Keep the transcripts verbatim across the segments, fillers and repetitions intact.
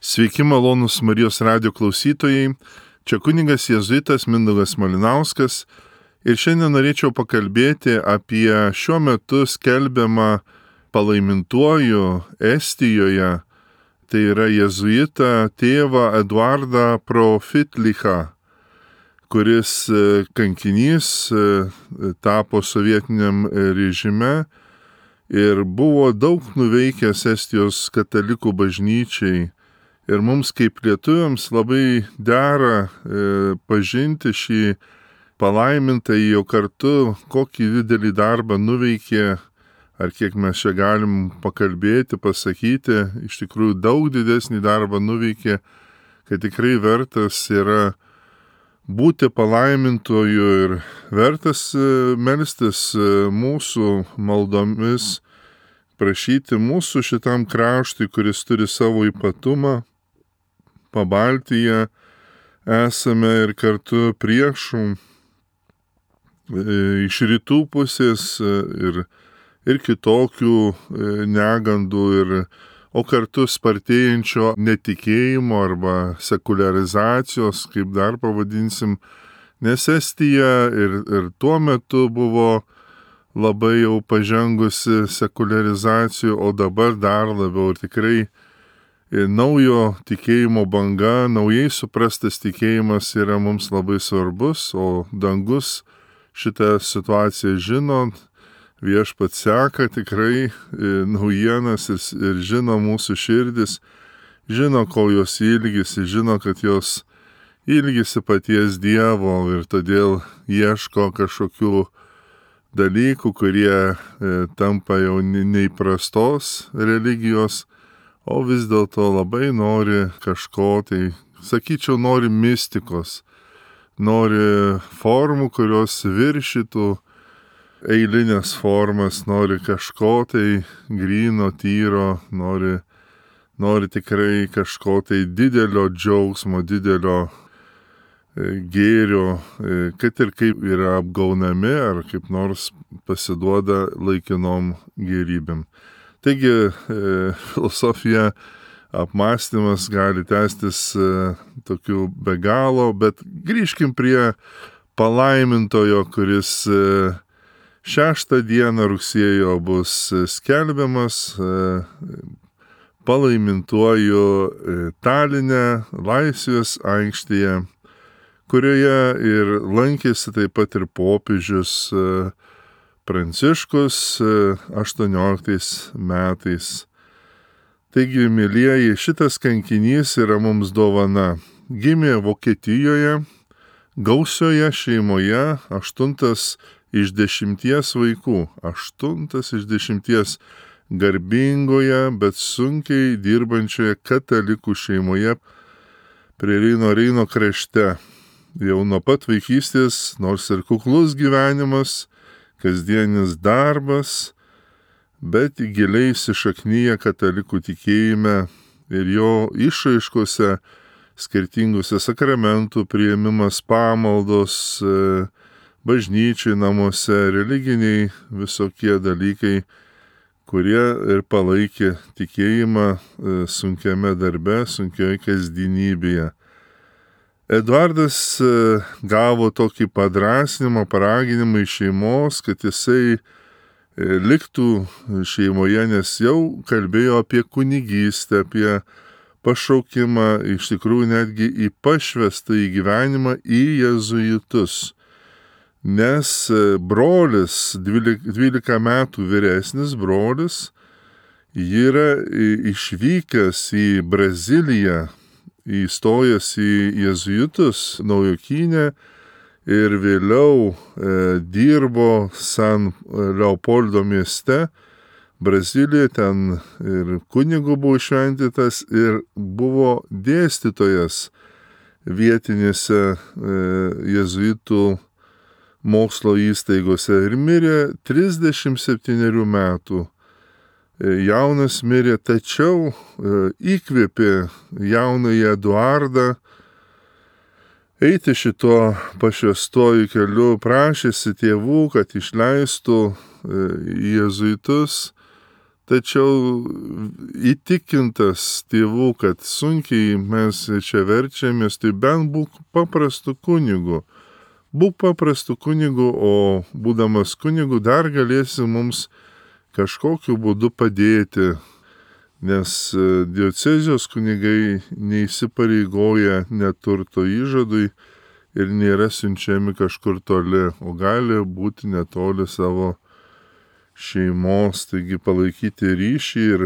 Sveiki malonūs Marijos radijo klausytojai, čia kunigas jėzuitas Mindaugas Malinauskas ir šiandien norėčiau pakalbėti apie šiuo metu skelbiamą palaimintuoju Estijoje, tai yra jėzuitą tėvą Eduardą Profitlichą, kuris kankinys tapo sovietiniam režime ir buvo daug nuveikęs Estijos katalikų bažnyčiai. Ir mums kaip lietuviams labai dera e, pažinti šį palaimintąjį jo kartu, kokį didelį darbą nuveikė, ar kiek mes čia galim pakalbėti, pasakyti, iš tikrųjų daug didesnį darbą nuveikė, kad tikrai vertas yra būti palaimintoju ir vertas e, melstis e, mūsų maldomis, prašyti mūsų šitam kraštui, kuris turi savo ypatumą. Pabaltyje esame ir kartu priešų iš rytų pusės ir, ir kitokių negandų, ir, o kartu spartėjančio netikėjimo arba sekuliarizacijos, kaip dar pavadinsim, nes Estija ir, ir tuo metu buvo labai jau pažengusi sekuliarizacijų, o dabar dar labiau ir tikrai naujo tikėjimo banga, naujai suprastas tikėjimas yra mums labai svarbus, o dangus šitą situaciją žino, viešpats seka tikrai naujienas ir, ir žino mūsų širdis, žino, ko jos ilgisi, žino, kad jos ilgisi paties Dievo ir todėl ieško kažkokių dalykų, kurie e, tampa jau neįprastos religijos, o vis dėlto labai nori kažko, tai sakyčiau, nori mistikos, nori formų, kurios viršytų eilinės formas, nori kažko tai gryno, tyro, nori, nori tikrai kažko tai didelio džiaugsmo, didelio e, gėrio, e, kad ir kaip yra apgaunami ar kaip nors pasiduoda laikinom gėrybėm. Taigi e, filosofija, apmąstymas gali tęstis e, tokiu be galo, bet grįžkim prie palaimintojo, kuris e, šeštą dieną rugsėjo bus skelbiamas e, palaimintuoju e, Taline, Laisvės aikštėje, kurioje ir lankėsi taip pat ir popiežius e, Pranciškus aštuonioliktais metais. Taigi, mielieji, šitas kankinys yra mums dovana. Gimė Vokietijoje, gausioje šeimoje, aštuntas iš dešimties vaikų, aštuntas iš dešimties garbingoje, bet sunkiai dirbančioje katalikų šeimoje prie Reino Reino krašte. Jau nuo pat vaikystės, nors ir kuklus gyvenimas, kasdienis darbas, bet giliai įsišaknyja katalikų tikėjime ir jo išraiškose, skirtingose sakramentų priėmimas, pamaldos, bažnyčiai namuose, religiniai visokie dalykai, kurie ir palaikė tikėjimą sunkiame darbe, sunkioje kasdienybėje. Eduardas gavo tokį padrasnimą, paraginimą iš šeimos, kad jisai liktų šeimoje, nes jau kalbėjo apie kunigystę, apie pašaukimą, iš tikrųjų netgi į pašvestą į gyvenimą į jėzuitus. Nes brolis, dvylika metų vyresnis brolis, yra išvykęs į Braziliją, įstojęs į jėzuitus Naujokynę ir vėliau e, dirbo San Leopoldo mieste, Brazilijoje, ten ir kunigu buvo šventytas ir buvo dėstytojas vietinėse e, jėzuitų mokslo įstaigose ir mirė trisdešimt septynerių metų. Jaunas mirė, tačiau įkvėpė jaunąjį Eduardą eiti šituo pašvęstuoju keliu, prašėsi tėvų, kad išleistų jėzuitus, Tačiau įtikintas tėvų, kad sunkiai mes čia verčiamės, tai bent būk paprastu kunigu. Būk paprastu kunigu, o būdamas kunigu dar galėsi mums kažkokiu būdu padėti, nes diocezijos kunigai neįsipareigoja neturto įžadui ir nėra siunčiami kažkur toli, o gali būti netoli savo šeimos, taigi palaikyti ryšį. Ir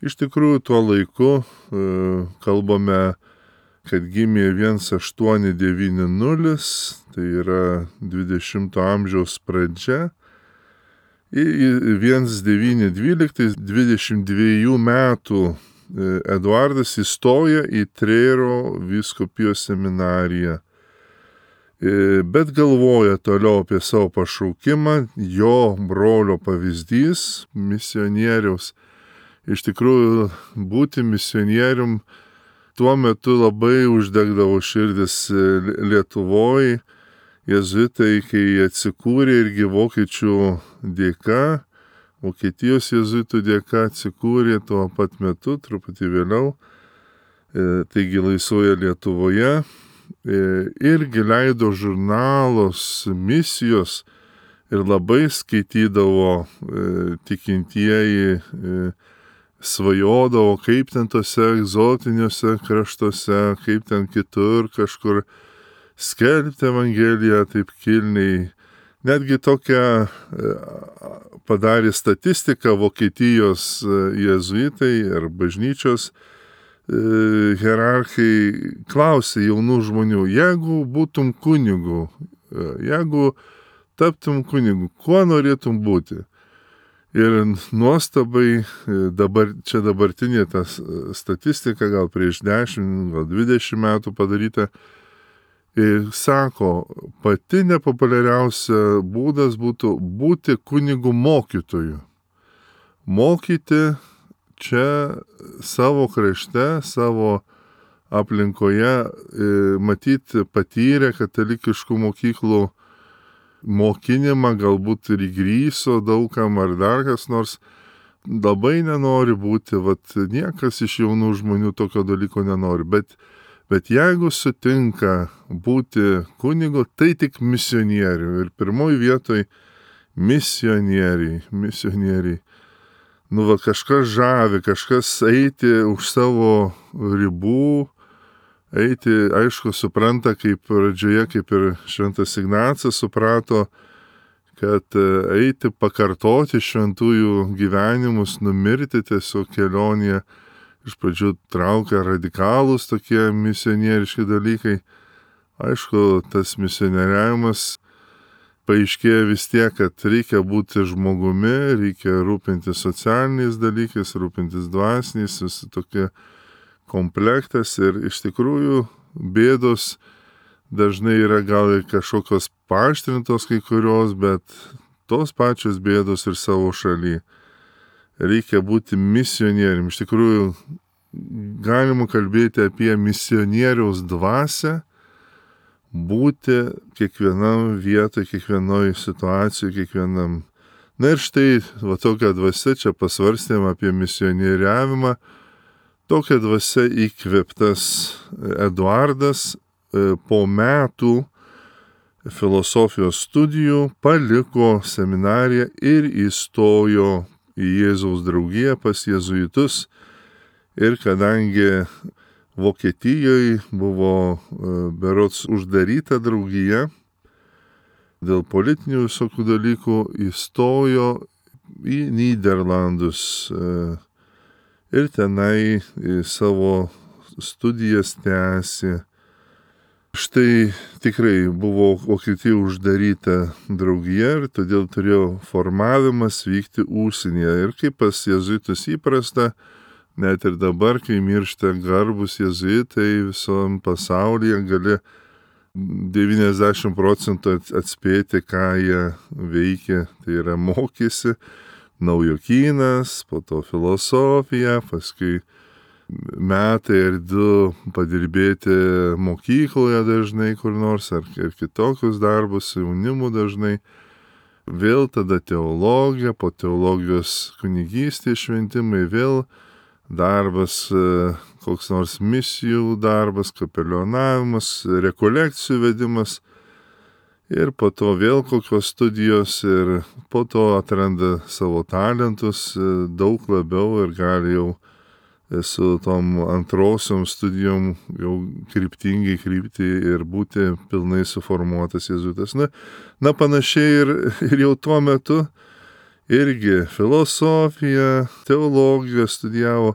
iš tikrųjų tuo laiku e, kalbame, kad gimė vienas aštuoni devyni nulis, tai yra dvidešimto amžiaus pradžia. Ir vienas devyni dvyliktais, dvidešimt dviejų metų Eduardas įstoja į Trėro vyskupijos seminariją. Bet galvoja toliau apie savo pašaukimą, jo brolio pavyzdys misionieriaus. Iš tikrųjų, būti misionierium tuo metu labai uždegdavo širdis Lietuvoje. Jėzuitai, kai atsikūrė irgi vokiečių dėka, Vokietijos jėzuitų dėka atsikūrė tuo pat metu, truputį vėliau, taigi laisvoje Lietuvoje. Irgi leido žurnalus, misijos ir labai skaitydavo tikintieji, svajodavo, kaip ten tose egzotiniuose kraštuose, kaip ten kitur kažkur skelbti Evangeliją taip kilniai. Netgi tokią padarė statistiką Vokietijos jėzuitai ir bažnyčios hierarchai, klausė jaunų žmonių, jeigu būtum kunigu, jeigu taptum kunigu, kuo norėtum būti? Ir nuostabai, dabar, čia dabartinė ta statistika, gal prieš dešimt, gal dvidešimt metų padaryta, ir sako, pati nepopuliariausia būdas būtų būti kunigų mokytoju. Mokyti čia savo krašte, savo aplinkoje, matyti patyrę katalikiškų mokyklų mokinimą, galbūt ir įgryso daugam ar dar kas nors, labai nenori būti, vat niekas iš jaunų žmonių tokio dalyko nenori, bet, bet jeigu sutinka būti kunigu, tai tik misionierių. Ir pirmoji vietoj misionieriai, misionieriai. Nu, va, kažkas žavi, kažkas eiti už savo ribų, eiti, aišku, supranta, kaip pradžioje, kaip ir šventas Ignacas suprato, kad eiti pakartoti šventųjų gyvenimus, numirti tiesiog kelionėje, iš pradžių traukia radikalūs tokie misionieriški dalykai. Aišku, tas misionieriavimas paaiškėja vis tiek, kad reikia būti žmogumi, reikia rūpintis socialiniais dalykais, rūpintis dvasiniais, visi tokie komplektas. Ir iš tikrųjų bėdos dažnai yra gal ir kažkokios paaštrintos kai kurios, bet tos pačios bėdos ir savo šaly. Reikia būti misionierium. Iš tikrųjų galima kalbėti apie misionieriaus dvasią, būti kiekvienam vietoj, kiekvienoj situacijoj, kiekvienam. Na ir štai, va tokia dvasia, čia pasvarstėm apie misionieriavimą, tokia dvasia įkvėptas Eduardas po metų filosofijos studijų paliko seminariją ir įstojo į Jėzaus draugiją pas jėzuitus. Ir kadangi Vokietijoje buvo berods uždaryta draugija, dėl politinių visokių dalykų įstojo į Nyderlandus ir tenai savo studijas tęsė. Štai tikrai buvo Vokietijoje uždaryta draugija ir todėl turėjo formavimas vykti užsienyje. Ir kaip pas jėzuitus įprasta, net ir dabar, kai miršta garbus jėzuitai visom pasaulyje, gali devyniasdešimt procentų atspėti, ką jie veikia. Tai yra mokėsi naujokynas, po to filosofija, paskui metai ir du padirbėti mokykloje dažnai kur nors, ar ir kitokius darbus, jaunimu dažnai. vėl tada teologija, po teologijos kunigystė, šventimai, vėl darbas, koks nors misijų darbas, kapelionavimas, rekolekcijų vedimas ir po to vėl kokios studijos ir po to atranda savo talentus daug labiau ir gali jau su tom antrosiom studijom jau kryptingai krypti ir būti pilnai suformuotas jėzuitas. Na, na panašiai ir, ir jau tuo metu irgi filosofiją, teologiją studijavo,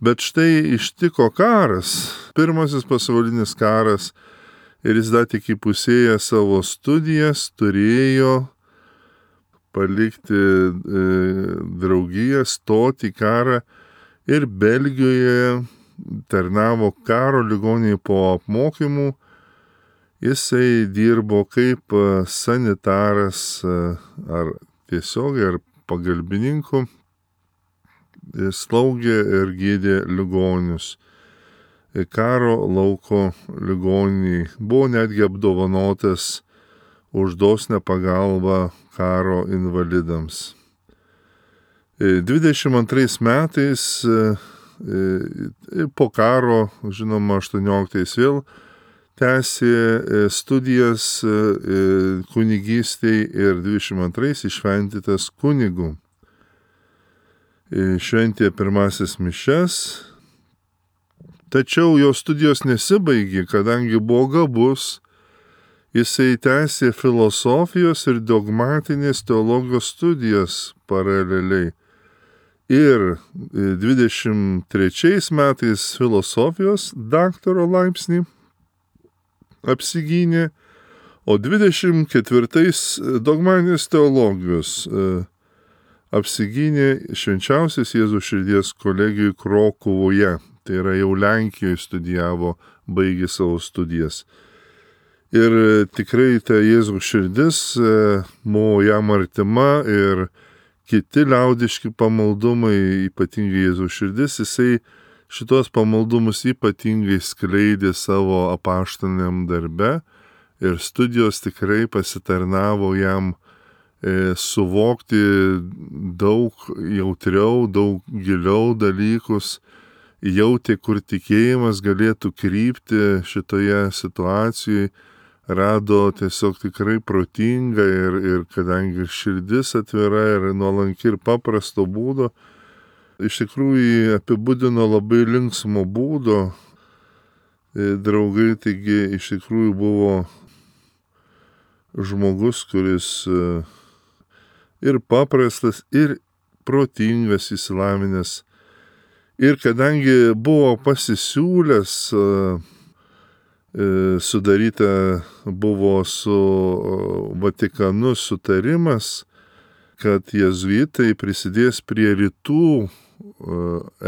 bet štai ištiko karas, pirmasis pasaulinis karas ir jis dar tik įpusėję savo studijas turėjo palikti e, draugiją, stoti į karą. Ir Belgijoje tarnavo karo ligoninėje po apmokymų. Jisai dirbo kaip sanitaras ar tiesiogiai, ar pagalbininku. Slaugė ir gydė ligonius. Karo lauko ligoniniai. Buvo netgi apdovanotas už dosnią pagalbą karo invalidams. dvidešimt antrais metais po karo, žinoma, aštuonioliktais vėl tęsė studijas kunigystėj ir dvidešimt antrais iššventytas kunigu. Šventė pirmasis mišias, tačiau jo studijos nesibaigė, kadangi buvo gabus, jisai tęsė filosofijos ir dogmatinės teologijos studijas paraleliai. Ir dvidešimt trečiais metais filosofijos daktaro laipsnį apsigynė, o dvidešimt ketvirtais dogmatinės teologijos apsigynė švenčiausios Jėzaus širdies kolegijoj Krokuvoje. Tai yra jau Lenkijoje studijavo, baigė savo studijas. Ir tikrai ta Jėzaus širdis buvo jam artima ir kiti liaudiški pamaldumai, ypatingai Jėzaus širdis, jisai šitos pamaldumus ypatingai skleidė savo apaštaliniam darbe ir studijos tikrai pasitarnavo jam e, suvokti daug jautriau, daug giliau dalykus, jautė, kur tikėjimas galėtų krypti šitoje situacijoje. Rado tiesiog tikrai protingą ir, ir kadangi širdis atvira ir nuolanki ir paprasto būdo, iš tikrųjų apibūdino labai linksmo būdo. Draugai, taigi iš tikrųjų buvo žmogus, kuris ir paprastas, ir protingas, įsilavinęs. Ir kadangi buvo pasisiūlęs, sudaryta buvo su Vatikanu sutarimas, kad jėzuitai prisidės prie rytų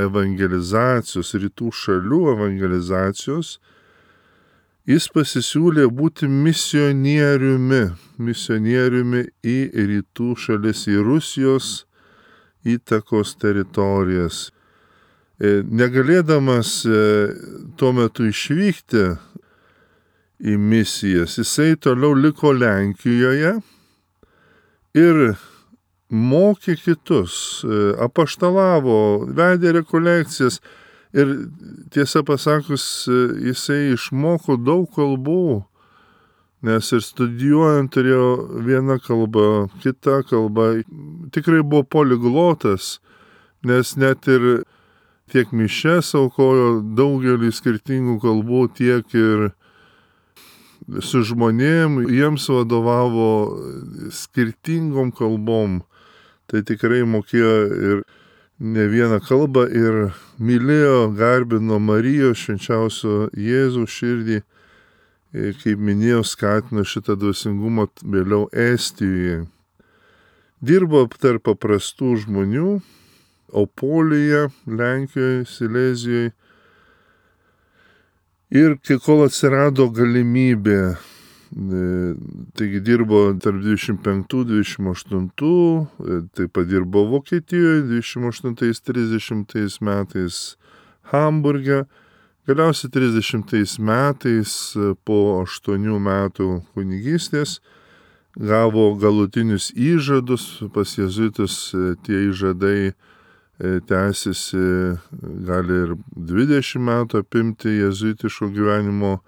evangelizacijos, rytų šalių evangelizacijos. Jis pasisiūlė būti misionieriumi, misionieriumi į rytų šalis, į Rusijos įtakos teritorijas. Negalėdamas tuo metu išvykti į misijas, jisai toliau liko Lenkijoje ir mokė kitus, apaštalavo, vedė rekolekcijas ir tiesą pasakius, jisai išmoko daug kalbų, nes ir studijuojant turėjo vieną kalbą, kitą kalbą, tikrai buvo poliglotas, nes net ir tiek mišias aukojo daugelį skirtingų kalbų, tiek ir su žmonėm, jiems vadovavo skirtingom kalbom. Tai tikrai mokėjo ir ne vieną kalbą ir mylėjo, garbino Marijos švenčiausio Jėzaus širdį. Ir, kaip minėjau, skatino šitą dvasingumą vėliau Estijoje. Dirbo tarp paprastų žmonių, Opolyje, Lenkijoje, Silezijoje. Ir kai kol atsirado galimybė, taigi dirbo tarp dvidešimt penktų dvidešimt aštuntų, taip pat dirbo Vokietijoje dvidešimt aštuntais trisdešimtais metais Hamburge, galiausiai trisdešimtais metais po aštuonių metų kunigystės gavo galutinius įžadus, pas jėzuitus tie įžadai tęsiasi, gali ir dvidešimt metų apimti jėzuitiško gyvenimo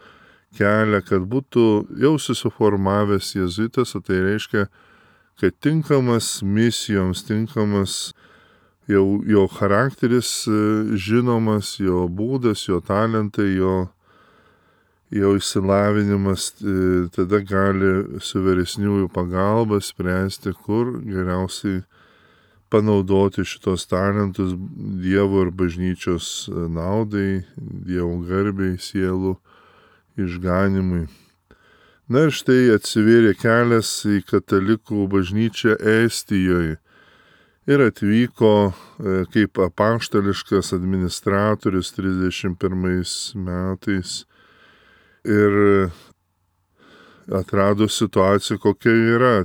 kelią, kad būtų jau susiformavęs jėzuitas, o tai reiškia, kad tinkamas misijoms, tinkamas jau jo charakteris žinomas, jo būdas, jo talentai, jo, jo išsilavinimas, tada gali su vyresniųjų pagalba spręsti, kur geriausiai panaudoti šitos talentus Dievo ir bažnyčios naudai, Dievo garbei, sielų išganimui. Na ir štai atsivėrė kelias į katalikų bažnyčią Estijoje ir atvyko kaip apaštališkas administratorius trisdešimt pirmais metais ir atrado situaciją, kokia yra.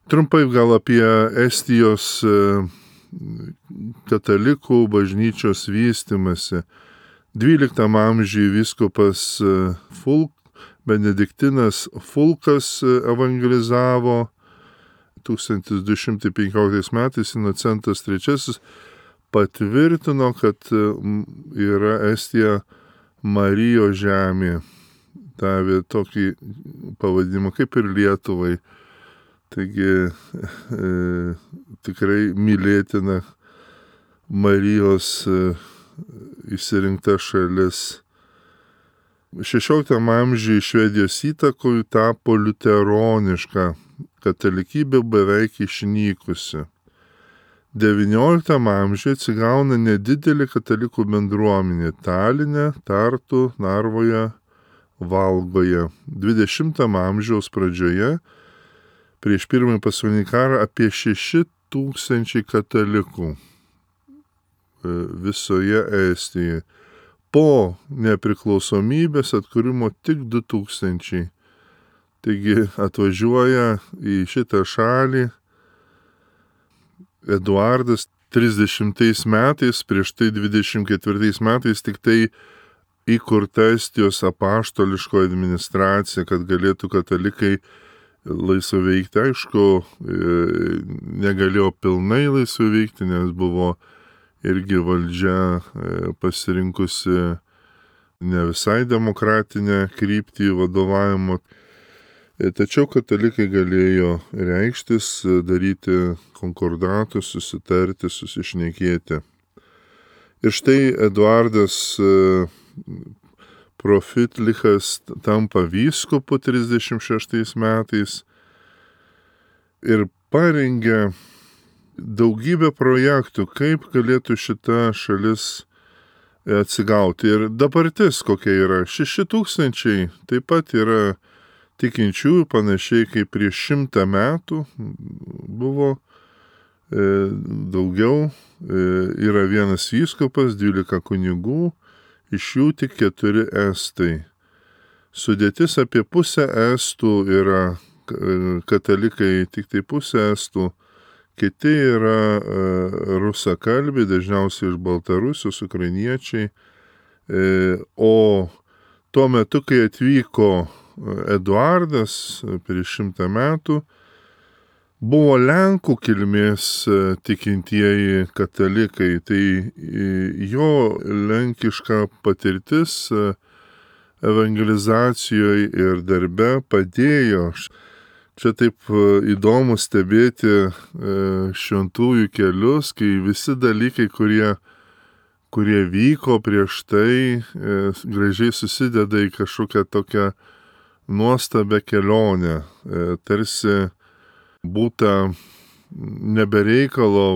Trumpai gal apie Estijos katalikų bažnyčios vystymąsi. dvyliktam amžiuje vyskupas Fulk, Benediktinas Fulkas evangelizavo, tūkstantis du šimtai penkioliktais metais Inocentas trečiasis patvirtino, kad yra Estija Marijos žemė. Davė tokį pavadinimą kaip ir Lietuvai. Taigi e, tikrai mylėtina Marijos e, išsirinkta šalis. šešioliktam amžiuje Švedijos įtakoj tapo liuteroniška, katalikybė beveik išnykusi. devynioliktam amžiuje atsigauna nedidelė katalikų bendruomenė Taline, Tartu, Narvoje, Valgoje. dvidešimtam amžiaus pradžioje, prieš pirmąjį pasaulinį karą, apie šeši tūkstančiai katalikų visoje Estijoje. Po nepriklausomybės atkūrimo tik du tūkstančiai. Taigi atvažiuoja į šitą šalį Eduardas trisdešimtais metais, prieš tai dvidešimt ketvirtais metais tik tai įkurta Estijos apaštališko administracija, kad galėtų katalikai laisvai veikti. Aišku, negalėjo pilnai laisvai veikti, nes buvo irgi valdžia pasirinkusi ne visai demokratinę kryptį vadovavimo. Tačiau katalikai galėjo reikštis, daryti konkordatus, susitarti, susišnekėti. Ir štai Eduardas Profitlichas tampa vyskupu trisdešimt šeštais metais ir parengė daugybę projektų, kaip galėtų šita šalis atsigauti. Ir dabartis kokia yra. Šeši tūkstančiai taip pat yra tikinčiųjų, panašiai kaip prieš šimtą metų buvo e, daugiau. E, yra vienas vyskupas, dvylika kunigų, iš jų tik keturi estai. Sudėtis apie pusę estų yra katalikai, tik tai pusę estų. Kiti yra e, rusakalbiai, dažniausiai iš Baltarusijos, ukrainiečiai. E, o tuo metu, kai atvyko Eduardas prieš šimtą metų, buvo Lenkų kilmės tikintieji katalikai. Tai jo lenkiška patirtis evangelizacijoje ir darbe padėjo. Čia taip įdomu stebėti šventųjų kelius, kai visi dalykai, kurie, kurie vyko prieš tai, gražiai susideda į kažkokią tokią nuostabę kelionę. Tarsi būta nebereikalo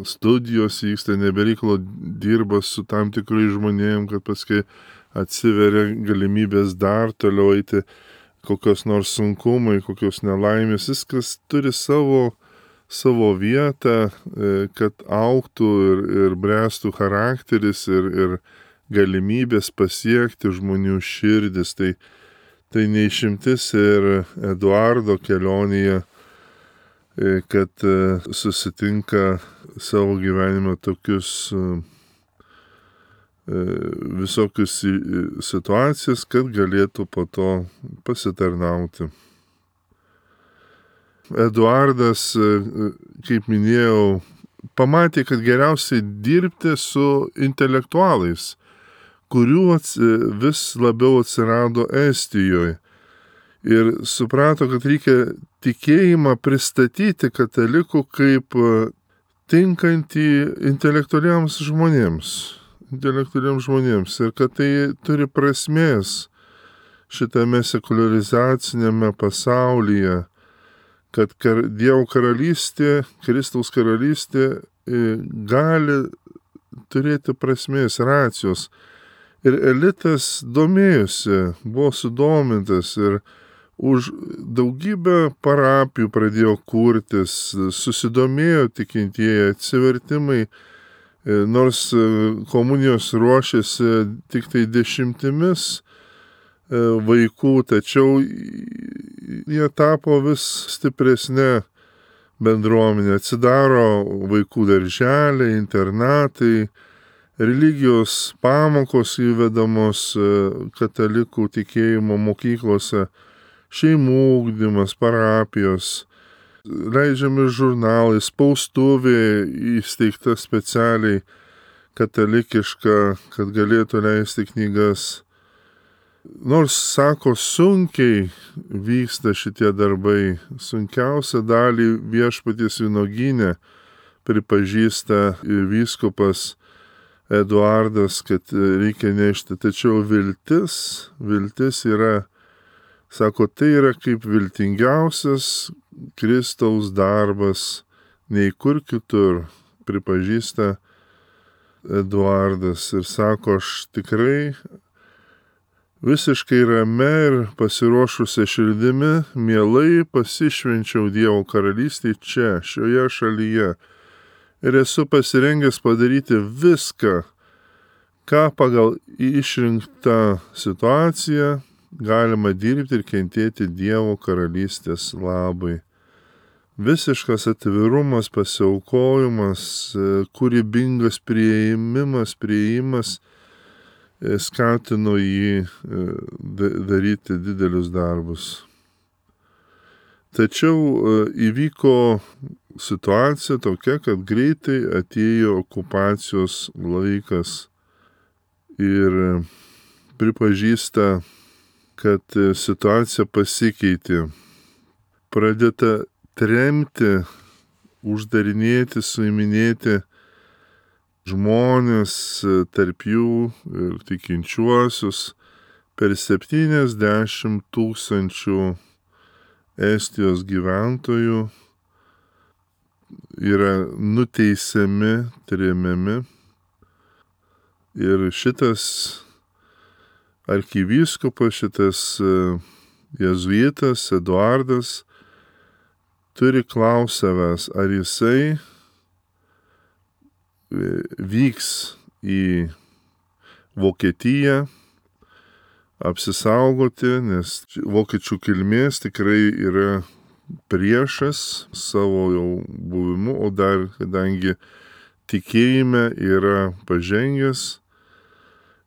studijos vyksta, nebereikalo dirba su tam tikrai žmonėm, kad paskui atsiveria galimybės dar toliau eiti, kokios nors sunkumai, kokios nelaimės, viskas turi savo, savo vietą, kad augtų ir, ir bręstų charakteris ir, ir galimybės pasiekti žmonių širdis. Tai, tai neišimtis ir Eduardo kelionėje, kad susitinka savo gyvenime tokius visokius situacijas, kad galėtų po to pasitarnauti. Eduardas, kaip minėjau, pamatė, kad geriausiai dirbti su intelektualais, kurių vis labiau atsirado Estijoje. Ir suprato, kad reikia tikėjimą pristatyti katalikų kaip tinkantį intelektualiams žmonėms, intelektualiams žmonėms, ir kad tai turi prasmės šitame sekuliarizacinėme pasaulyje, kad kar, Dievo karalystė, Kristaus karalystė gali turėti prasmės, racijos. Ir elitas domėjosi, buvo sudomintas ir už daugybę parapijų pradėjo kurtis, susidomėjo tikintieji, atsivertimai, nors komunijos ruošėsi tik tai dešimtimis vaikų, tačiau jie tapo vis stipresnė bendruomenė, atsidaro vaikų darželiai, internatai, religijos pamokos įvedamos katalikų tikėjimo mokyklose, šeimų ugdymas, parapijos, leidžiami žurnalai, spaustuvė įsteigta specialiai katalikiška, kad galėtų leisti knygas. Nors, sako, sunkiai vyksta šitie darbai, sunkiausią dalį Viešpaties vynuogyne pripažįsta vyskupas Eduardas, kad reikia nešti. Tačiau viltis, viltis yra, sako, tai yra kaip viltingiausias Kristaus darbas, nei kur kitur, pripažįsta Eduardas. Ir sako, aš tikrai visiškai rame ir pasiruošusia širdimi, mielai pasišvenčiau Dievo karalystėj čia, šioje šalyje. Ir esu pasirengęs padaryti viską, ką pagal išrinktą situaciją galima dirbti ir kentėti Dievo karalystės labui. Visiškas atvirumas, pasiaukojimas, kūrybingas priėjimas, priėjimas skatino jį daryti didelius darbus. Tačiau įvyko situacija tokia, kad greitai atėjo okupacijos laikas ir pripažįsta, kad situacija pasikeitė. Pradėta tremti, uždarinėti, suiminėti žmonės, tarp jų ir tikinčiuosius, per septyniasdešimt tūkstančių Estijos gyventojų yra nuteisiami, tremiami. Ir šitas arkivyskupas, šitas jėzuitas Eduardas turi klaust savęs, ar jisai vyks į Vokietiją apsisaugoti, nes vokiečių kilmės tikrai yra priešas savo jau buvimu, o dar kadangi tikėjime yra pažengęs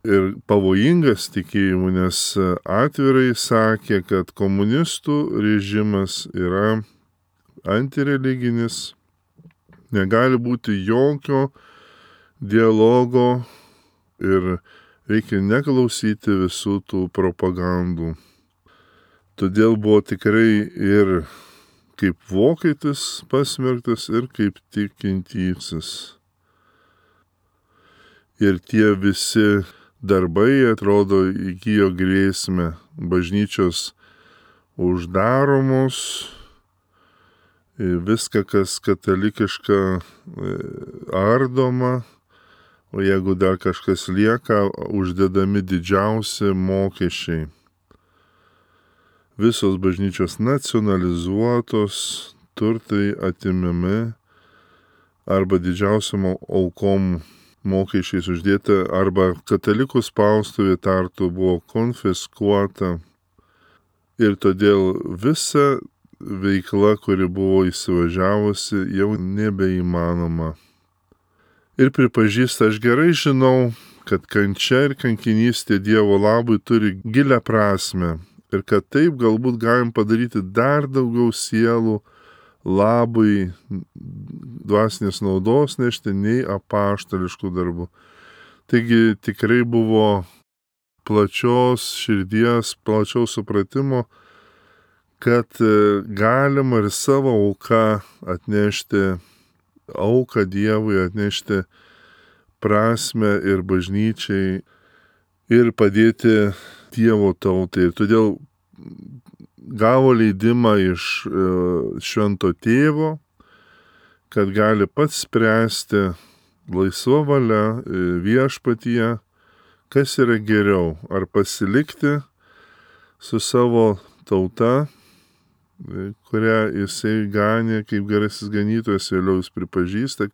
ir pavojingas tikėjimu, nes atvirai sakė, kad komunistų režimas yra antireliginis, negali būti jokio dialogo ir reikia neklausyti visų tų propagandų. Todėl buvo tikrai ir kaip vokietis pasmerktas ir kaip tikintysis. Ir tie visi darbai, atrodo, įgijo grėsmę. Bažnyčios uždaromos, viską, kas katalikiška, ardoma, o jeigu dar kažkas lieka, uždedami didžiausi mokesčiai. Visos bažnyčios nacionalizuotos, turtai atimami, arba didžiausiam aukom mokesčiais uždėta, arba katalikų spaustuvė Tartu buvo konfiskuota. Ir todėl visa veikla, kuri buvo įsivažiavusi, jau nebeįmanoma. Ir pripažįsta, aš gerai žinau, kad kančia ir kankinystė Dievo labui turi gilią prasmę ir kad taip galbūt galim padaryti dar daugiau sielų labui dvasinės naudos nešti, nei apaštališkų darbų. Taigi tikrai buvo plačios širdies, plačiaus supratimo, kad galima ir savo auką atnešti, auką Dievui atnešti prasme ir bažnyčiai ir padėti Dievo tautai. Ir todėl gavo leidimą iš švento tėvo, kad gali pats spręsti laisva valia viešpatyje, kas yra geriau, ar pasilikti su savo tauta, kurią jisai ganė kaip gerasis ganytojas, vėliau jis pripažįsta,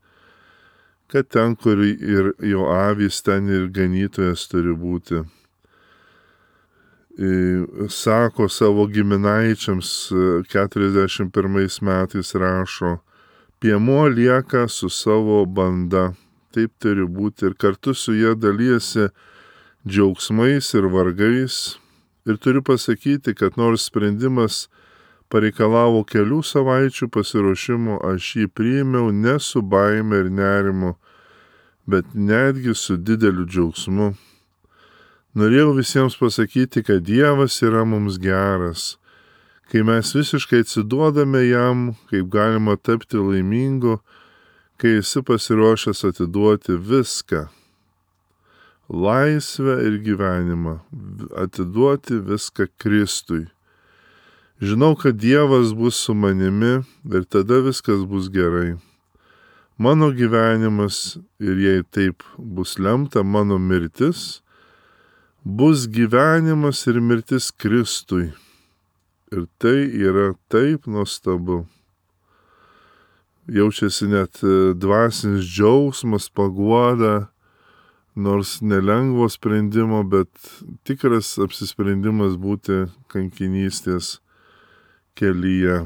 kad ten, kur ir jo avys, ten ir ganytojas turi būti. Sako savo giminaičiams keturiasdešimt pirmais metais rašo, piemuo lieka su savo banda, taip turi būti, ir kartu su jie dalyjasi džiaugsmais ir vargais. Ir turiu pasakyti, kad nors sprendimas pareikalavo kelių savaičių pasiruošimo, aš jį priėmiau ne su baime ir nerimu, bet netgi su dideliu džiaugsmu. Norėjau visiems pasakyti, kad Dievas yra mums geras. Kai mes visiškai atsiduodame jam, kaip galima tapti laimingu, kai esi pasiruošęs atiduoti viską. Laisvę ir gyvenimą. Atiduoti viską Kristui. Žinau, kad Dievas bus su manimi ir tada viskas bus gerai. Mano gyvenimas, ir jei taip bus lemta, mano mirtis, bus gyvenimas ir mirtis Kristui. Ir tai yra taip nuostabu. Jaučiasi net dvasinis džiaugsmas, paguoda, nors nelengvo sprendimo, bet tikras apsisprendimas būti kankinystės kelyje.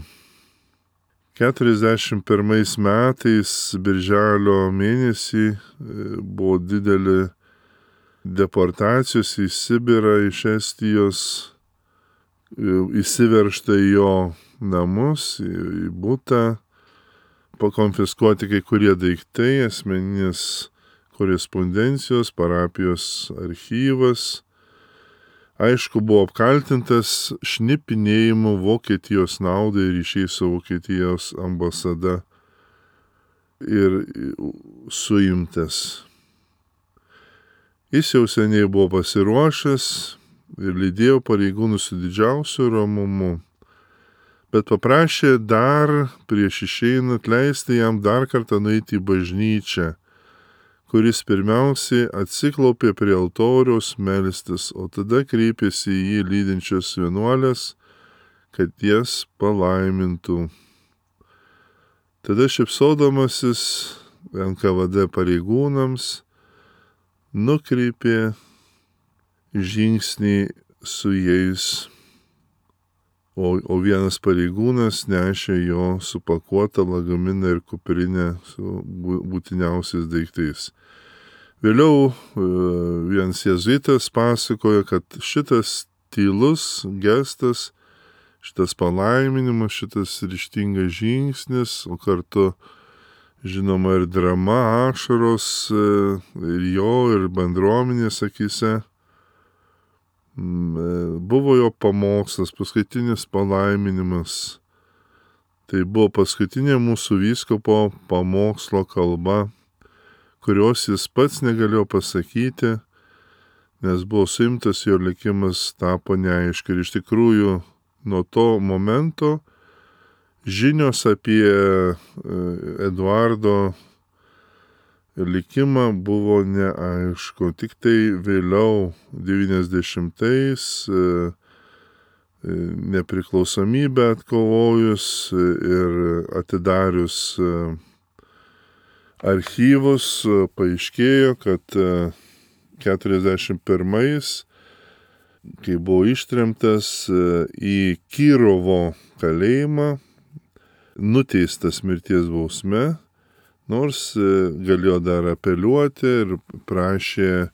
keturiasdešimt pirmais metais, birželio mėnesį, buvo didelė deportacijos į Sibirą iš Estijos, įsiveržta į jo namus, į butą, pakonfiskuoti kai kurie daiktai, asmeninės korespondencijos, parapijos archyvas. Aišku, buvo apkaltintas šnipinėjimu Vokietijos naudai ryšiai su Vokietijos ambasada ir suimtas. Jis jau seniai buvo pasiruošęs ir lydėjo pareigūnus su didžiausiu ramumu, bet paprašė dar prieš išeinant leisti jam dar kartą nueiti į bažnyčią, kuris pirmiausiai atsiklaupė prie altoriaus melstis, o tada kreipėsi į jį lydinčios vienuolės, kad jas palaimintų. Tada šypsodamasis N K V D pareigūnams nukreipė žingsnį su jais, o, o vienas pareigūnas nešė jo supakuotą lagaminą ir kuprinę su būtiniausiais daiktais. Vėliau vienas jėzuitas pasakojo, kad šitas tylus gestas, šitas palaiminimas, šitas ryžtingas žingsnis, o kartu žinoma ir drama, ašaros ir jo, ir bendruomenės akyse, buvo jo pamokslas, paskutinis palaiminimas. Tai buvo paskutinė mūsų vyskupo pamokslo kalba, kurios jis pats negalėjo pasakyti, nes buvo suimtas, jo likimas tapo neaišku. Ir iš tikrųjų nuo to momento žinios apie Eduardo likimą buvo neaišku. Tik tai vėliau devyniasdešimtais nepriklausomybę atkovojus ir atidarius archyvus, paaiškėjo, kad keturiasdešimt pirmais, kai buvo ištremtas į Kirovo kalėjimą, nuteistas mirties bausme, nors galėjo dar apeliuoti ir prašė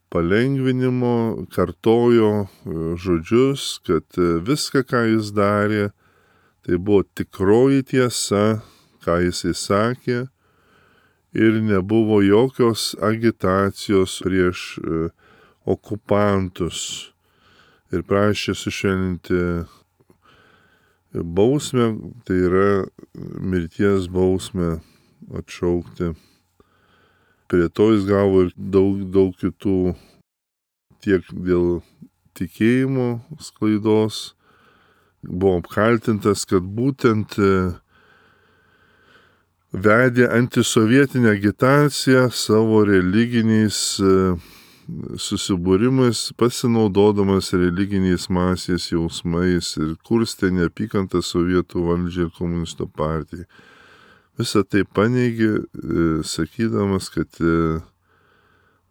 palengvinimo, kartojo žodžius, kad viską, ką jis darė, Tai buvo tikroji tiesa, ką jisai sakė, ir nebuvo jokios agitacijos prieš okupantus ir prašė sušvelninti bausmę, tai yra mirties bausmę atšaukti. Prie to jis gavo ir daug, daug kitų, tiek dėl tikėjimo sklaidos, buvo apkaltintas, kad būtent vedė antisovietinę agitaciją savo religiniais susibūrimais, pasinaudodamas religiniais masės jausmais ir kurstė neapykantą sovietų valdžiai ir komunistų partijai. Visą tai paneigė, sakydamas, kad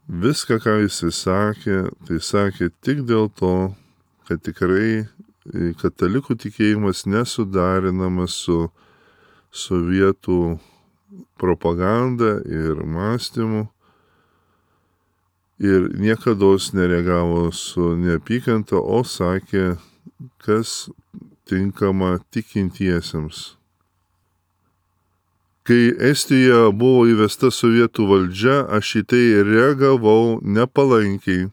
viską, ką jisai sakė, tai sakė tik dėl to, kad tikrai katalikų tikėjimas nesudarinamas su sovietų propaganda ir mąstymu ir niekados nereagavo su neapykanta, o sakė, kas tinkama tikintiesiems. Kai Estijoje buvo įvesta sovietų valdžia, aš į tai reagavau nepalankiai,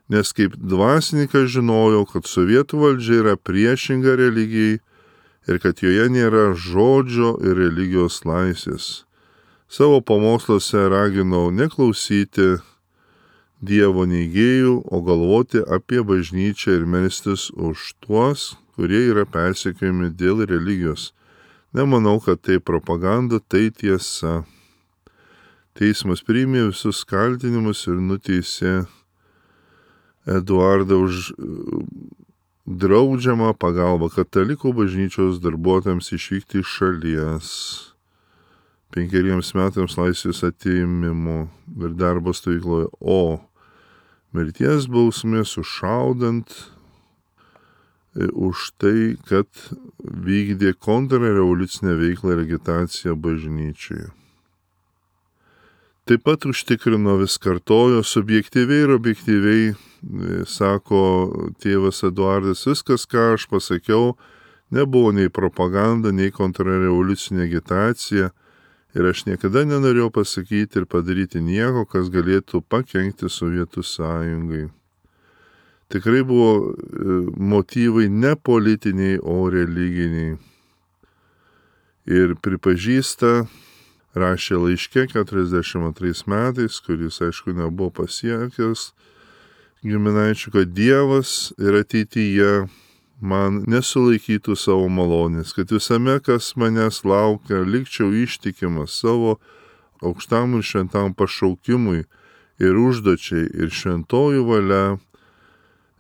nes kaip dvasininkas žinojau, kad sovietų valdžia yra priešinga religijai ir kad joje nėra žodžio ir religijos laisvės. Savo pamoksluose raginau neklausyti Dievo neigėjų, o galvoti apie bažnyčią ir melstis už tuos, kurie yra persekiojami dėl religijos. Nemanau, kad tai propaganda, tai tiesa. Teismas priėmė visus kaltinimus ir nuteisė Eduardą už draudžiamą pagalbą katalikų bažnyčios darbuotojams išvykti iš šalies, penkeriems metams laisvės atėmimo ir darbo stovykloje, o mirties bausmė sušaudant už tai, kad vykdė kontrrevoliucinę veiklą ir agitaciją bažnyčioje. Taip pat užtikrino, vis kartojo, subjektyviai ir objektyviai, sako tėvas Eduardas, viskas, ką aš pasakiau, nebuvo nei propaganda, nei kontrrevoliucinė agitacija ir aš niekada nenorėjau pasakyti ir padaryti nieko, kas galėtų pakenkti Sovietų sąjungai. Tikrai buvo motyvai ne politiniai, o religiniai. Ir pripažįsta, rašė laiške keturiasdešimt antrais metais, kuris, aišku, nebuvo pasiekęs giminaičių, kad Dievas ir ateityje man nesulaikytų savo malonės, kad visame, kas manęs laukia, likčiau ištikimas savo aukštam ir šventam pašaukimui ir užduočiai ir šventojų valia,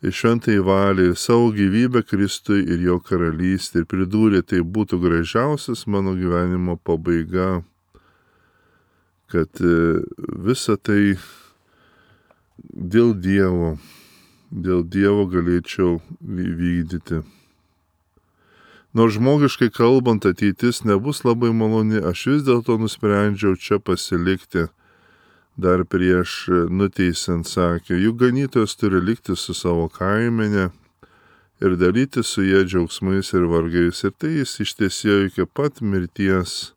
ir šventai valiai, ir savo gyvybę Kristui ir jo karalystė. Ir pridūrė, tai būtų gražiausias mano gyvenimo pabaiga, kad visa tai dėl Dievo, dėl Dievo galėčiau vykdyti. Nors žmogiškai kalbant ateitis nebus labai maloni, aš vis dėlto nusprendžiau čia pasilikti. Dar prieš nuteisiant sakė, juk ganytojas turi likti su savo kaimenė ir dalyti su jie džiaugsmais ir vargais. Ir tai jis ištiesėjo iki pat mirties,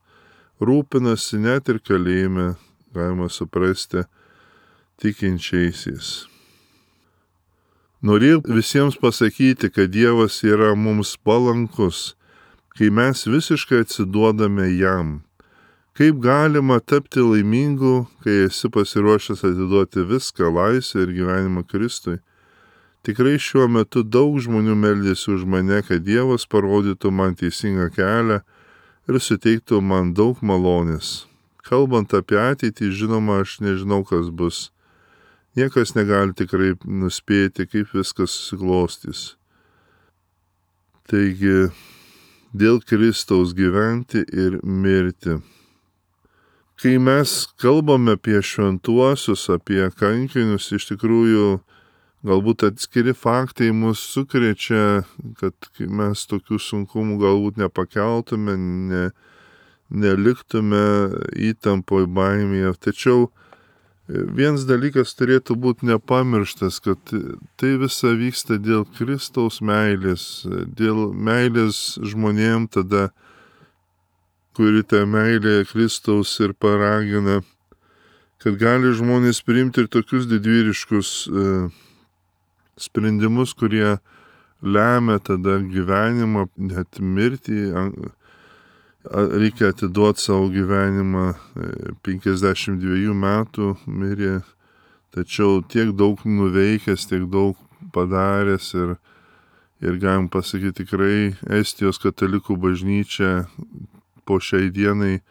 rūpinasi net ir kalėjime, galima suprasti, tikinčiaisiais. Norėjau visiems pasakyti, kad Dievas yra mums palankus, kai mes visiškai atsiduodame jam. Kaip galima tapti laimingu, kai esi pasiruošęs atiduoti viską, laisvę ir gyvenimą Kristui? Tikrai šiuo metu daug žmonių meldėsi už mane, kad Dievas parodytų man teisingą kelią ir suteiktų man daug malonės. Kalbant apie ateitį, žinoma, aš nežinau, kas bus. Niekas negali tikrai nuspėti, kaip viskas susiklostys. Taigi, dėl Kristaus gyventi ir mirti. Kai mes kalbame apie šventuosius, apie kankinius, iš tikrųjų galbūt atskiri faktai mus sukrečia, kad mes tokių sunkumų galbūt nepakeltume, ne, neliktume įtampoje baimėje. Tačiau Vienas dalykas turėtų būti nepamirštas, kad tai visa vyksta dėl Kristaus meilės, dėl meilės žmonėm tada, kuri tą meilę Kristaus ir paragina, kad gali žmonės priimti ir tokius didvyriškus e, sprendimus, kurie lemia tada gyvenimą, net mirtį. Reikia atiduoti savo gyvenimą, penkiasdešimt dviejų metų mirė, tačiau tiek daug nuveikęs, tiek daug padaręs ir, ir galim pasakyti tikrai Estijos katalikų bažnyčia po šiai dienai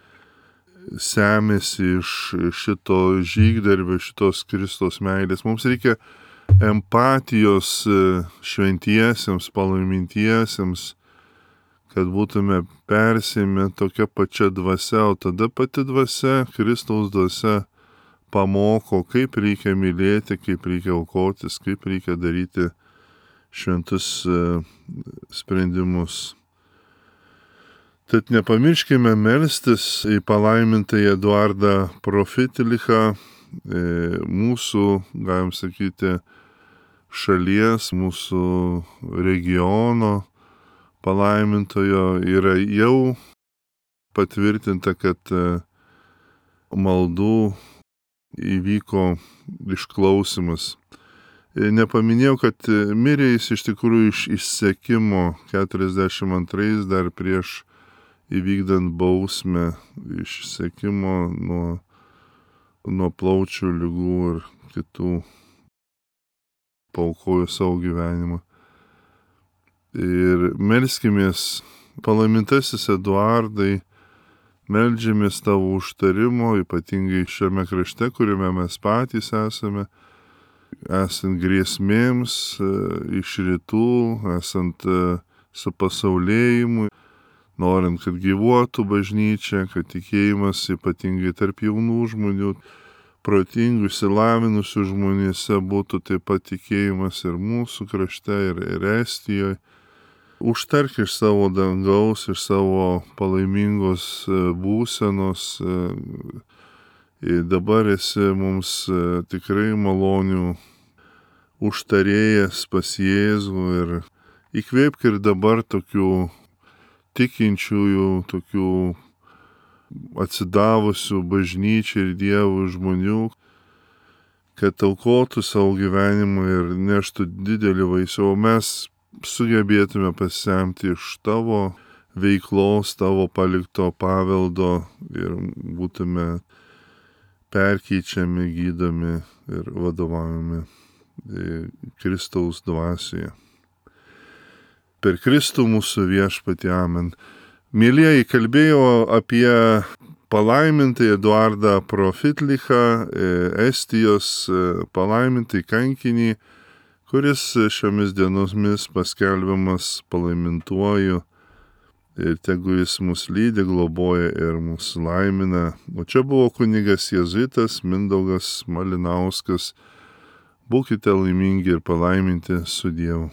semėsi iš šito žygdarbio, šitos Kristaus meilės. Mums reikia empatijos šventiesiems, palaimintiesiems, kad būtume persėmę tokia pačia dvasia, o tada pati dvasia, Kristaus dvasia pamoko, kaip reikia mylėti, kaip reikia aukotis, kaip reikia daryti šventus sprendimus. Tad nepamirškime melstis į palaimintąjį Eduardą Profitlichą, mūsų, galim sakyti, šalies, mūsų regiono palaimintojo. Yra jau patvirtinta, kad maldų įvyko išklausimas. Nepaminėjau, kad mirė jis iš tikrųjų iš išsekimo keturiasdešimt antrais dar prieš įvykdant bausmę, išsekimo nuo, nuo plaučių ligų ir kitų, paaukojo savo gyvenimą. Ir melskimės, palaimintasis Eduardai, meldžiamės tavo užtarimo, ypatingai šiame krašte, kuriame mes patys esame, esant grėsmėms iš rytų, esant supasaulėjimui, norint, kad gyvuotų bažnyčia, kad tikėjimas ypatingai tarp jaunų žmonių, protingų, išsilavinusių žmonėse būtų taip pat tikėjimas ir mūsų krašte, ir, ir Estijoje. Užtark iš savo dangaus, iš savo palaimingos būsenos. Dabar esi mums tikrai malonių užtarėjas pas Jėzų ir įkvėpk ir dabar tokių tikinčiųjų, tokių atsidavusių bažnyčiai ir Dievui žmonių, kad aukotų savo gyvenimą ir neštų didelį vaisių, o mes sugebėtume pasisemti iš tavo veiklos, tavo palikto paveldo ir būtume perkeičiami, gydomi ir vadovaujami Kristaus dvasioje. Per Kristų mūsų viešpatį, amen. Mėlyjeji, kalbėjau apie palaimintąjį Eduardą Profitlichą, Estijos palaimintąjį kankinį, kuris šiomis dienomis paskelbiamas palaimintuoju ir tegu jis mus lydi, globoja ir mus laimina. O čia buvo kunigas jėzuitas Mindaugas Malinauskas. Būkite laimingi ir palaiminti su Dievu.